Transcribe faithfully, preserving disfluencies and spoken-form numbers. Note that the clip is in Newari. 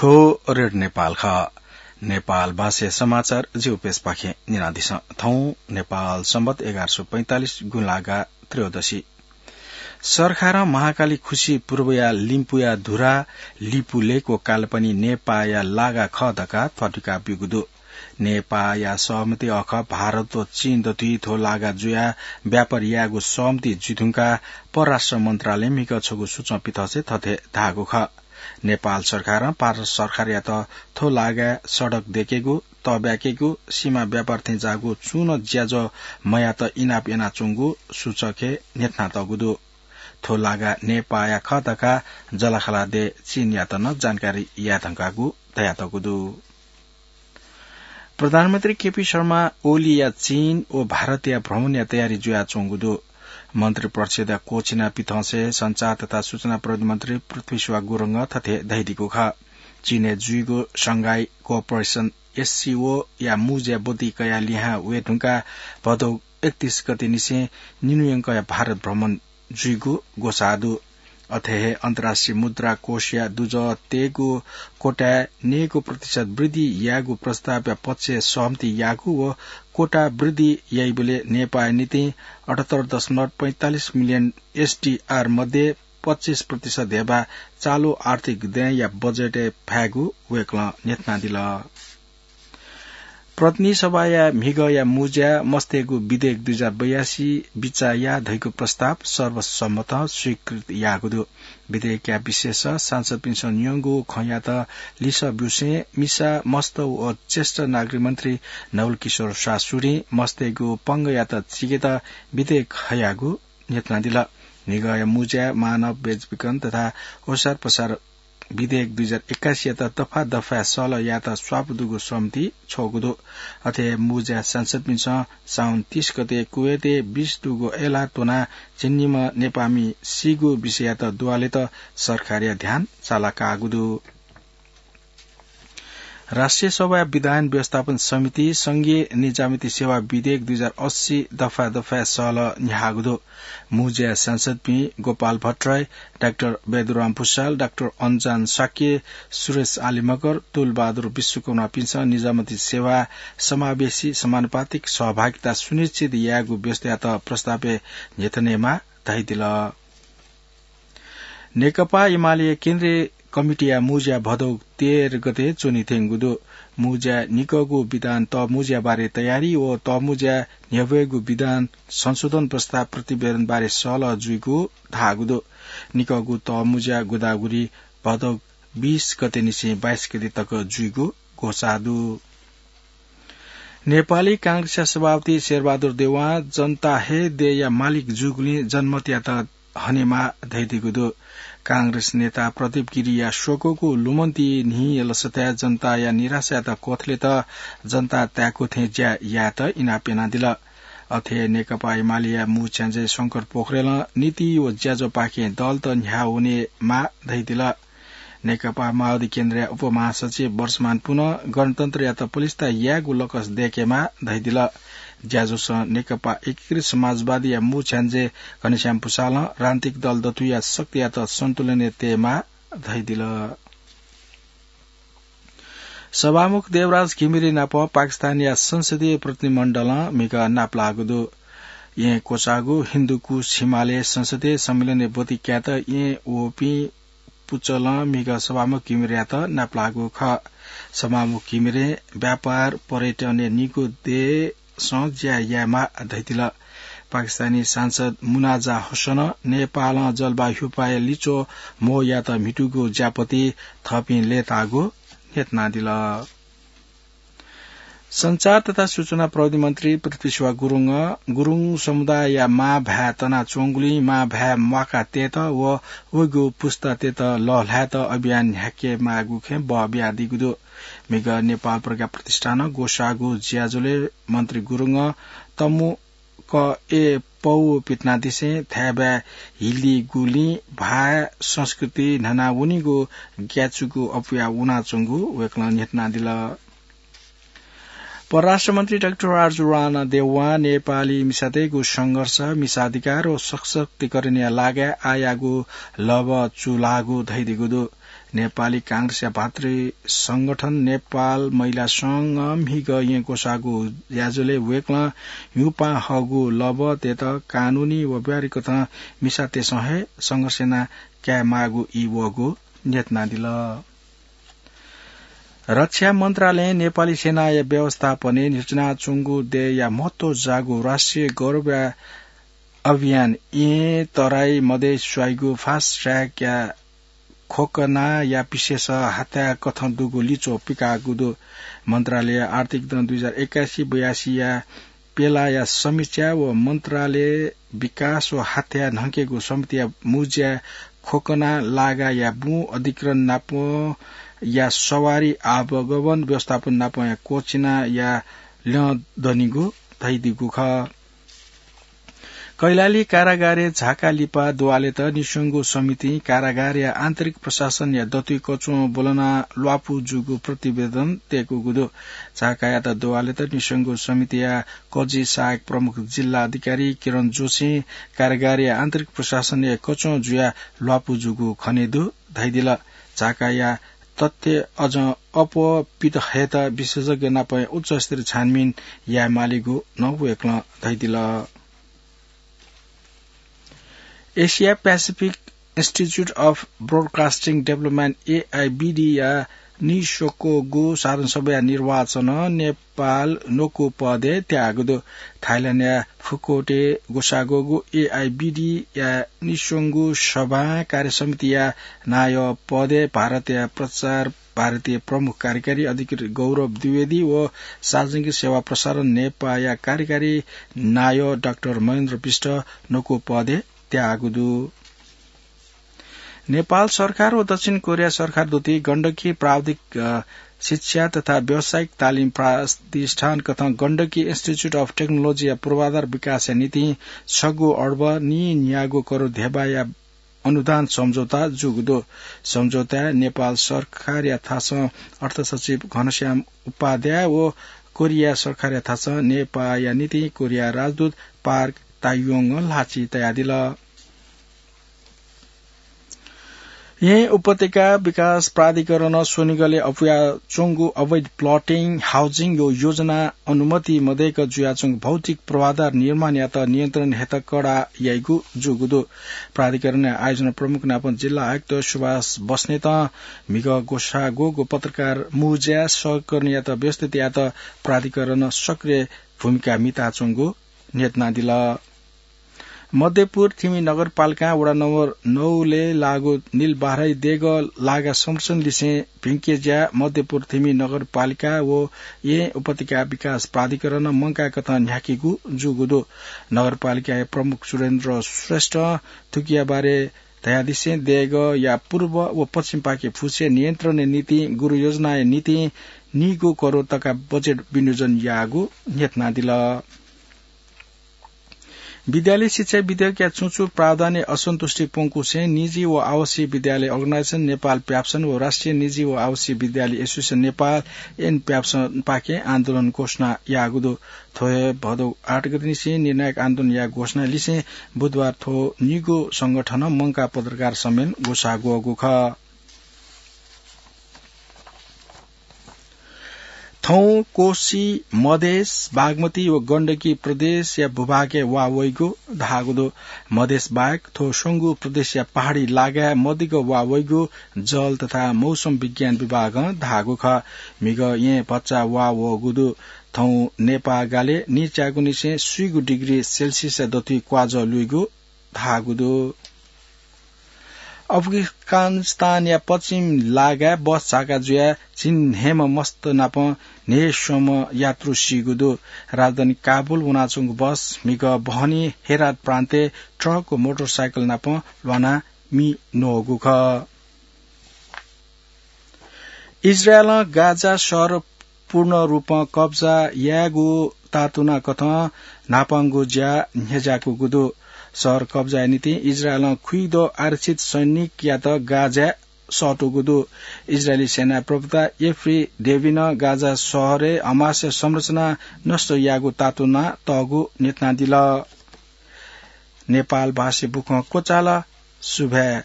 थ्व रेडियो नेपाल खः। नेपाल भाषाया समाचार जिगु पेजपाखें न्यनादिसँ। थौं नेपाल संवत् एघार सय पैंतालिस गुंलागा त्रयोदशी। सरकारं महाकाली खुसी पूर्वया लिम्पुया धुरा, लिपु लेक व कालपनि नेपाःया लागा खः धकाः थ्वाथुइका ब्यूगु दु। नेपाःया सहमति अख भारत व चीन दथुइ थ्व लागा जुयाः व्यापार यायेगु सहमति जुइधुंकाः परराष्ट्र मन्त्रालयं म्हिगः छगू सूचं पिथंसे थथे धाःगु खः। नेपाल सरकारं भारत सरकारयात थ्व लागाय् सडक दयेकेगु, तःब्याकेगु, सीमा व्यापार थें जाःगु छुं नं ज्याझ्वः मयात इनाप यानाच्वंगु सूचकय् न्ह्यथनातःगु दु। थ्व लागा नेपाःया खः धकाः जःलाखःला देय् चीनयात नं जानकारी याये धुंकागु धयातःगु दु। प्रधानमन्त्री केपी शर्मा ओलीया चीन व भारतया भ्रमणया तयारी जुयाच्वंगु दु। मन्त्री परिषदया क्वःछिना पिथंसे सञ्चार तथा सूचना प्रविधि मन्त्री पृथ्वी सुवाः गुरुङं थथे धयादीगु खः। चीनय् जुइगु Shanghai Cooperation, एससीओ, या मुँज्या ब्वति कयाः लिहां वये धुंकाः भदौ एकतीस गते निसें निन्हु यंकया भारत भ्रमण जुइगु ग्वसाः दु। अथे हे अन्तर्राष्ट्रिय मुद्रा कोषया दुजः तयेगु कोटाय् नयेगु प्रतिशत वृद्धि यायेगु प्रस्तावया पक्षय् सहमति याःगु व कोटा वृद्धि याइबलय् नेपाःया निंतिं अठहत्तर दशमलव पैंतालिस मिलियन एसडीआर मध्ये पच्चिस प्रतिशत हेबा चालु आर्थिक दँय्‌या बजेटय् फायेगु वय्‌कलं न्ह्यथनादिल। प्रतिनिधि सभाया म्हिगःया मुँज्या मस्तय्‌गु विधेयक दुई हजार बयासी बिचाः या धइगु प्रस्ताव सर्वसम्मतं स्वीकृत याःगु दु। विधेयकया विषयस सांसदपिन्सं न्यंगु खँयात लिसः ब्यूसें मिसा, मस्त व ज्येष्ठ नागरिक मन्त्री नवल किशोर शाह सुरें मस्तय्‌गु पंगःयात चिकेत विधेयक हयागु न्ह्यथनादिल। म्हिगःया मुँज्या मानव बेचबिखन तथा ओसारपसार विधेयक दुई हजार एक्कासीयात दफा दफाय् सहलह यायेत स्वापू दुगु सहमति छ्वःगु दु। अथे हे मुँज्या सांसदपिन्सं साउन तीस गते कुवेतय् बीस दुगु अय्‌लाः त्वनाः झिंनिम्ह नेपाःमि सीगु विषययात दुवालेत सरकारया ध्यान चालाकाःगु दु। राष्ट्रिय सभाया विधायन व्यवस्थापन समिति संघीय निजामती सेवा विधेयक दुई हजार अस्सी दफा दफाय् सहलह न्ह्याःगु दु। मुँज्या सांसदपिं गोपाल भट्टराई, डाक्टर बैदुराम भुसाल, डाक्टर अन्जान शाक्य, सुरेश आली मगर, तुलबहादुर विश्वकर्मापिन्सं निजामती सेवा समावेशी समानुपातिक सहभागिता सुनिश्चित यायेगु व्यवस्थायात प्रस्तावय् न्ह्यथनेमाः धयादिल। नेकपा एमालेया केन्द्रीय कमिटीया मुँज्या भदौ तेह्र गते च्वने त्यंगु दु। मुँज्या निकःगु विधान तःमुँज्या बारे तयारी व तःमुँज्या न्ह्यब्वयेगु विधान संशोधन प्रस्ताव प्रतिवेदन बारे सहलह जुइगु धाःगु दु। निकःगु तःमुँज्या गोदावरी भदौ बीस गते निसें बाइस गते तक जुइगु ग्वसाः दु। नेपाली कांग्रेसया सभापति शेरबहादुर देउवां जनता हे देय्‌या मालिक जूगुलिं जनमतयात हनेमाः धयादीगु दु। कांग्रेस नेता प्रदीप गिरिया स्वक्वःगु लुमन्ति न्हिं यलसताय् जनताया निराशायात क्वथलेत जनता ताय्‌कू थें ज्या यायेत इनाप यानादिल। अथे हे नेकपा एमालेया मू छ्याञ्जे शंकर पोखरेलं नीति व ज्याझ्वःपाखें दलत न्ह्याः वनेमाः धयादिल। नेकपा माओवादी केन्द्रया उपमहासचिव वर्षमान पुनं गणतन्त्रयात पलिस्था यायेगु लकस दय्‌केमाः धयादिल। ज्याझ्वलं नेकपा एकीकृत समाजवादीया मू छ्याञ्जे घनश्याम भुसालं राजनीतिक दल दथुया शक्तियात सन्तुलनय् तयेमाः धयादिल। सभामुख देवराज घिमिरे नाप पाकिस्तानया संसदीय प्रतिनिधिमण्डलं म्हिगः नापलाःगु दु। येँ क्वचाःगु हिन्दुकुश हिमालय संसदीय सम्मेलनय् ब्वति कायेत येँ वःपिं पुचलं म्हिगः सभामुख घिमिरेयात नापलाःगु खः। सभामुख घिमिरें व्यापार, पर्यटनया निगू देशं ज्या यायेमाः धयादिल। पाकिस्तानी सांसद मुनाजा हुसनं नेपालं जलवायु ह्युपाया लिच्वः म्हो यायेत म्हितूगु ज्यापति थःपिं लय्ताःगु न्ह्यथनादिल। सञ्चार तथा सूचना प्रविधि मन्त्री पृथ्वी सुवाः गुरुङं गुरुङ समुदायया मांभाय् तनाच्वंगुलिं मांभाय् म्वाका तयेत व वइगु पुस्तातय्त लःल्हायेत अभियान न्ह्याकेमाःगु खँय् बः बियादीगु दु। म्हिगः नेपाल प्रज्ञा प्रतिष्ठानं ग्वसाःगु ज्याझ्वलय् मन्त्री गुरुङं तमु क ए पौ पिथनादिसें थाय्बाय् हिलीगुलिं भाय् संस्कृति न्हनावनीगु ग्याचुगु अप्वया वनाच्वंगु वय्कलं न्ह्यथनादिल। परराष्ट्र मन्त्री डाक्टर आरजु राणा देउवां नेपाली मिसातय्गु संघर्ष, मिसा अधिकार व सशक्तिकरणया लागाय् आःयागु लभचुलाःगु धयादीगु दु। नेपाली कांग्रेसया भातृ संगठन नेपाल महिला संघं म्हिगः येँ ग्वसाःगु ज्याझ्वलय् वय्कलं ह्युपां हःगु लबतय्त कानूनी व व्यावहारिक कथं मिसातय्सं हे संघर्ष याना कायेमाःगु ई वःगु न्ह्यथनादिल। रक्षा मन्त्रालयं नेपाली सेनाया व्यवस्थापनय् न्ह्यचिनाच्वंगु देय्या महत्व जाःगु राष्ट्रिय गौरवया अभियान येँ तराई मधेस स्वाइगु फास्ट ट्र्याकया खोकनाया विशेष हाथ्याः कथं दुगु लिच्वः पिकाःगु दु। मन्त्रालय आर्थिक दँ दुई हजार एकासी बयासीया पेलाया समीक्षा व मन्त्रालय विकास व हाथ्याः न्हंकेगु समितिया मुज्या खोकना लागाया बुँ अधिग्रहण नापं या सवारी आवागमन व्यवस्थापन नापं या कोचिनाया ल्यं दनिगु धइदीगु खः। कैलाली कारागारय् झाका लिपा द्वालेत निस्वंगु समितिं कारागारया आन्तरिक प्रशासनया दथुइ कच्वं ब्वलना ल्वापु जूगु प्रतिवेदन तय्कूगु दु। झाकायात द्वालेत निस्वंगु समितिया कजि सहायक प्रमुख जिल्ला अधिकारी किरण जोशीं कारागारया आन्तरिक प्रशासनया कच्वं जुया ल्वापु जूगु खने दु धइदिल। झाकाया तथ्य अझ अप्वः पित हयेत विशेषज्ञ नापं उच्चस्तरीय छानबिन यायेमालीगु नं वय्कलं धइदिल। Asia Pacific Institute of Broadcasting Development, एआइबिडी या निस्वकूगु साधारण सभाया निर्वाचनं नेपाल न्वकू पदय् त्याःगु दु। थाइल्याण्डया फुकोटय् ग्वसाः ग्वःगु एआइबिडी या निस्वंगु सभां कार्यसमितिया नायः पदय् भारतया प्रचार भारतीय प्रमुख कार्यकारी अधिकृत गौरव द्विवेदी व सार्वजनिक सेवा प्रसारण नेपाःया कार्यकारी नायः डाक्टर महेन्द्र विष्ट न्वकू पदय् त्याःगु दु। नेपाल सरकार व दक्षिण कोरिया सरकार दुति गण्डकी प्राविधिक, अ, शिक्षा तथा व्यावसायिक तालिम प्रतिष्ठान कथं गण्डकी Institute of Technology या पूर्वाधार विकासया निंतिं छगू अर्ब नीन्यागू करोड धेबाया अनुदान सम्झौता जूगु दु। सम्झौताय् नेपाल सरकारया थासं अर्थसचिव घनश्याम उपाध्याय व कोरिया सरकारया थासं नेपाःया निंतिं कोरिया राजदूत पार्क तायुङं ल्हाःचिं तयादिल। येँ उपत्यका विकास प्राधिकरणं स्वनिगलय् अपुयाच्वंगु अवैध प्लटिङ, हाउजिङ व योजना अनुमति मदय्क जुयाच्वंगु भौतिक पूर्वाधार निर्माणयात नियन्त्रण हयेत कडा याइगु जूगु दु। प्राधिकरणया आयोजना प्रमुख नापं जिल्ला आयुक्त सुभाष बस्नेतं म्हिगः ग्वसाः ग्वःगु पत्रकार मुँज्याय् सहकर्मीयात व्यवस्थित यायेत प्राधिकरणं सक्रिय भूमिका म्हिताच्वंगु न्ह्यथनादिल। मध्यपुर थिमि नगरपालिकां वडा नम्बर नौलय् लाःगु नीलबाराही देगः लागा संरक्षण लिसें भिंकेज्या मध्यपुर थिमि नगरपालिका व येँ उपत्यका विकास प्राधिकरणं मंकाय् कथं न्ह्याकीगु जूगु दु। नगरपालिकाया प्रमुख सुरेन्द्र श्रेष्ठं थुकिया बारे धयादिसें देगःया पूर्व व पश्चिमपाखे फुसे नियन्त्रणया निंतिं गुरुयोजनाया निंतिं नीगू करोड तका बजेट विनियोजन याःगु न्ह्यथनादिल। विद्यालय शिक्षा विधेयकया छुं छुं प्रावधानय् असन्तुष्टि प्वंकुसें निजी व आवासीय विद्यालय अर्गनाइजेसन नेपाल प्याब्सन व राष्ट्रिय निजी व आवासीय विद्यालय एसोसिएसन नेपाल एन प्याब्सनपाखें आन्दोलन घोषणा याःगु दु। थ्व हे भदौ आठ गते निसें निर्णायक आन्दोलन यायेगु घोषणा लिसें बुधबार थ्व निगू संगठनं मंकाः पत्रकार सम्मेलन ग्वसाः ग्वःगु खः। थौं कोशी, मधेस, बागमती व गण्डकी प्रदेशया भूभागय् वा वइगु धाःगु दु। मधेस बाहेक थ्व स्वंगू प्रदेशया पहाडी लागाय् मदिक्क वा वइगु जल तथा मौसम विज्ञान विभागं धाःगु खः। म्हिगः येँ भचा वा वःगु दु। थौं नेपाः गालय् नीच्यागुनिसें स्वीगू डिग्री सेल्सियसया दथुइ क्वाजः लुइगु धाःगु दु। अफगानिस्तानया पश्चिम लागाय् बस झाका जुयाः झिंन्हय्म्ह मस्त नाप न्हय्स्वम्ह यात्रु सीगु दु। राजधानी काबुल वनाच्वंगु बस म्हिगः बहनी हेरात प्रान्तय् ट्रक व मोटरसाइकल नाप ल्वानाः मि न्वःगु खः। इजरायलं गाजा शहर पूर्ण रूपं कब्जा यायेगु तातुना कथं न्हापांगु ज्या न्ह्यज्याकूगु दु। शहर कब्जाया निंतिं इजरायलं खुइदँ आरक्षित सैनिकयात गाजाय् सःतूगु दु। इजरायली सेनाया प्रवक्ता एफ्री डेभिनं गाजा शहरय् हमासया संरचना नष्ट याःगु तातुना तःगु न्ह्यथनादिल। नेपाल भाषी बुखँ क्वचाल। सुभाय्।